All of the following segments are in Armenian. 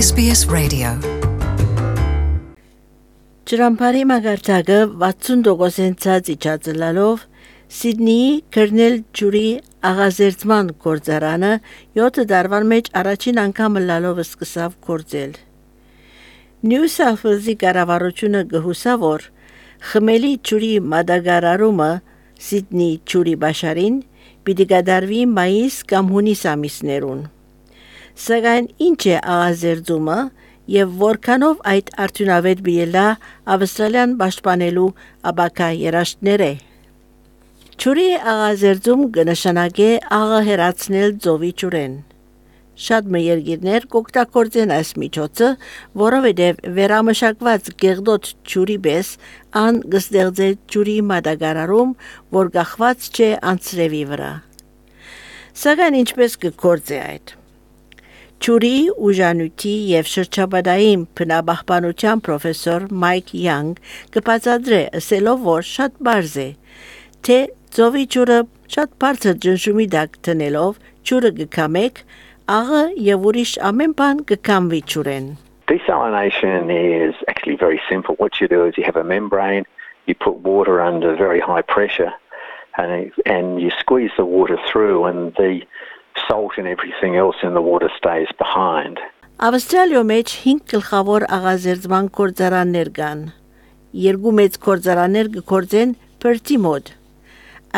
SBS Radio Ջրամբարի մագարտակը 60% իջածլալով Սիդնեի Քերնել ջուրի աղազերծման գործարանը 7 տարվան մեջ առաջին անգամ լալով սկսավ գործել։ Նյու Սաութ Ուելսի կառավարությունը գհուսա որ խմելի ջուրի մատակարարումը Սիդնեի ջուրի բաշարին պիտի կատարվի մայիս կամ հունիս ամիսներուն։ Սակայն ինչ է աղազերծումը եւ որքանով այդ արդյունավետ բիելա Ավստրալիան պաշտպանելու աբակա երաշտները։ Ջուրի աղազերծում կնշանակե աղը հերացնել ծովի ջուրեն։ Շատ երկիրներ կօգտագործեն այս միջոցը, որովհետև վերամշակված գեղդոտ ջուրի պես ան կստեղծե ջուրի մատակարարում, որ կախված չէ անձրևի վրա։ Սակայն ինչպես կգործե այդ։ Ջուրի ուժանույթի եւ շրջապատային բնապահպանության պրոֆեսոր Մայք Յանգ կբացատրե ասելով որ շատ բարձ է թե ծովի ջուրը շատ բարձր ջնջումի տակ տնելով ջուրը կկամեք աղը եւ ուրիշ ամեն բան կկամվի ջուրեն. Desalination is actually very simple. What you do is you have a membrane, you put water under very high pressure and you squeeze the water through and the salt and everything else in the water stays behind. Ավստրալիո մեջ 5 գլխավոր աղազերծման գործարաններ կան։ Երկու մեծ գործարաններ կգործեն Perth-ի մոտ։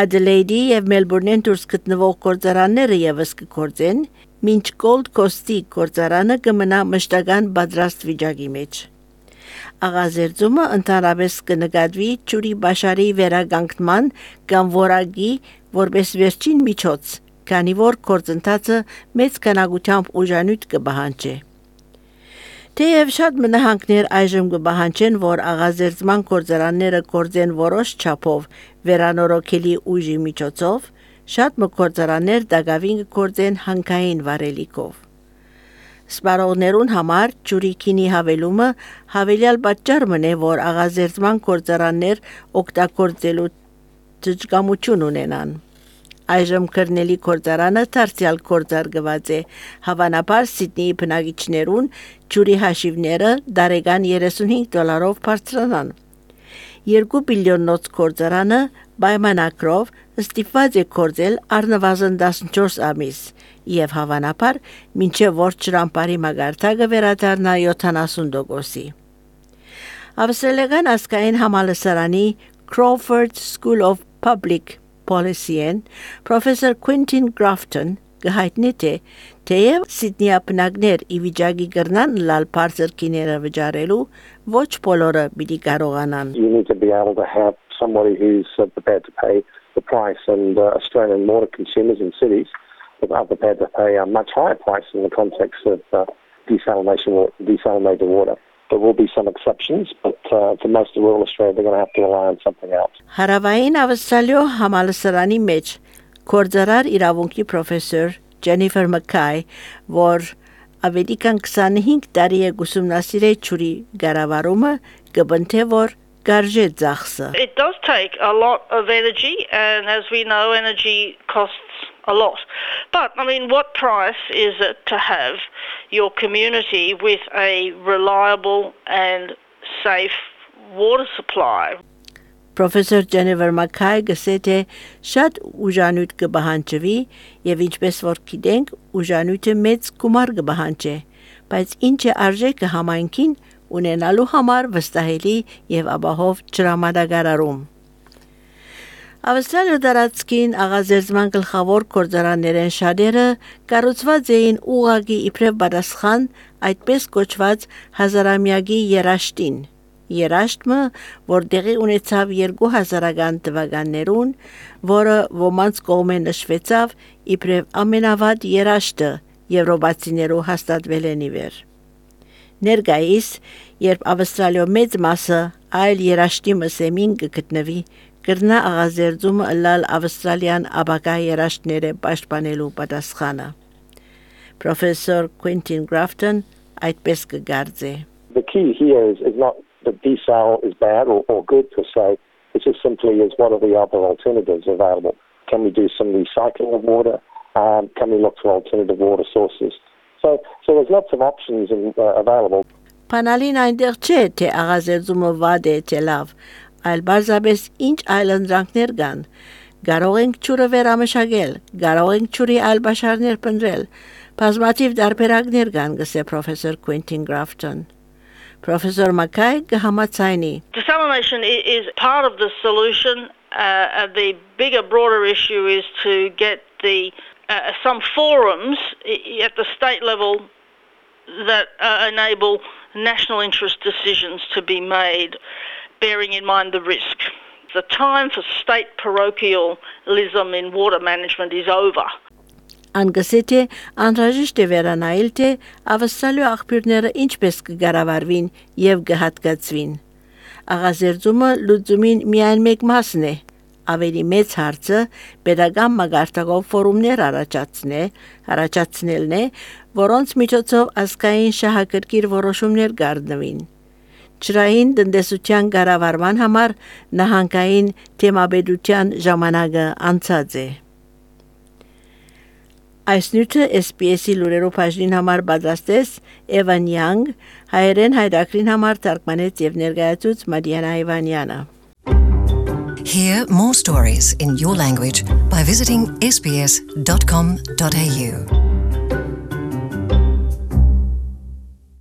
Adelaide-ի եւ Melbourne-ին դուրս գտնվող գործարանները եւս կգործեն, մինչ Gold Coast-ի գործարանը կմնա մշտական պատրաստ վիճակի մեջ։ Աղազերծումը ընդհանրապես կնկատվի ջուրի բաշարի վերականգնման կամ որակի որպես վերջին միջոց, քանի որ գործընթացը մեծ քանակությամբ ուժանույթ կբահանջի։ Թեև շատ մնահանգներ այժմ կբահանջեն, որ աղազերծման գործարանները գործեն որոշ չափով վերանորոգելի ուժի միջոցով, շատ գործարաններ դակավին կգործեն հանքային վարելիքով։ Սպառողներուն համար ջուրի քինի հավելումը հավելյալ պատճառ մնե, որ աղազերծման գործարաններ օգտագործելու ճշգամություն ունենան։ Այժմ Քերնելի գործարանը դարձյալ գործարկված է, հավանաբար Սիդնեի բնակիչներուն ջուրի հաշիվները դարեկան $35 բարձրանան։ 2 բիլիոնոց գործարանը պայմանագրով ստիպված է գործել առնվազն 14 ամիս եւ հավանաբար մինչեւ որ ջրամբարի մագարտակը վերադառնա 70%-ի։ Ավստրալիական ազգային համալսարանի Crawford School of Public Policy-ն Professor Quentin Grafton գահիտնի թե թեև Սիդնեի բնակներ ի վիճակի կրնան լալ բարձր քիները վճարելու ոչ բոլորը պիտի կարողանան. You need to be able to have somebody who's prepared to pay the price and Australian water consumers in cities are prepared to pay a much higher price in the context of desalinated water. There will be some exceptions, but for most of rural Australia, they're going to have to rely on something else. Հարավային Ավստրալիո համալսարանի մեջ գործարար իրավունքի պրոֆեսոր Jennifer Mackay, որ ավելի քան 25 տարի է ուսումնասիրել ջուրի կառավարումը, կբնթե որ կարժե ծախսը. It does take a lot of energy, and as we know, energy costs a lot. But, I mean, what price is it to have your community with a reliable and safe water supply? Professor Jennifer Mackay գսե թե շատ ուժանույթ կբահանջվի եւ ինչպես որ գիտենք ուժանույթը մեծ գումար կբահանջի, բայց ինչ է արժեքը համայնքին ունենալու համար վստահելի եւ ապահով ջրամատակարարում։ Ավստրալիա տարածքին աղազերծման գլխավոր գործարաններեն շատերը կառուցված էին ուղղակի իբրև պատասխան այդպես կոչված հազարամյակի երաշտին։ Երաշտը, որ տեղի ունեցավ 2000-ական թվականներուն, որը ոմանց կողմեն նշվեցավ իբրև ամենավատ երաշտը եվրոպացիներու հաստատվել են իվեր։ Ներկայիս, երբ Ավստրալիո մեծ մասը այլ երաշտի մսեմին կգտնվի, կրնա աղազերծումը լալ Ավստրալիան աբակա երաշտները պաշտպանելու պատասխանը։ Professor Quentin Grafton այդպես կգարձե. The key here is not that desal is bad or good per se. It's just simply is what are the other alternatives available? Can we do some recycling of water? Can we look for alternative water sources? So there's lots of options available. Փանալին այնտեղ չէ, թե աղազերծումը վատ է, թե լավ, այլ բարձրապես ինչ այլ ընդրանքներ կան։ Կարող ենք ջուրը վերամշակել, կարող ենք ջուրի այլ բաշարներ փնտրել։ Բազմաթիվ տարբերակներ կան, գսե պրոֆեսոր Quentin Grafton։ Professor Mackay կհամաձայնի։ Desalination is part of the solution. The bigger, broader issue is to get some forums at the state level that enable national interest decisions to be made, bearing in mind the risk. The time for state parochialism in water management is over. Անգսեթե անհրաժեշտ է վերանայել, թե ավստալու աղբյուրները ինչպես կգարավարվին եւ կհատկացվին։ Աղազերծումը լուծումին միայն մեկ մասն է։ Ավելի մեծ հարցը pedagogical մագարտակով ֆորումներ առաջացնելն է, որոնց միջոցով ազգային շահագրգիռ որոշումներ կառնվին։ Ջրային տնտեսության կառավարման համար նահանգային թեմաբեդության ժամանակը անցած է։ Այս նյութը SPS-ի լուրերով բաժնին համար պատրաստեց Evan Young, հայերեն հայրակրին համար թարգմանեց եւ ներկայացուց Մադիանա Իվանյանը։ Hear more stories in your language by visiting sbs.com.au.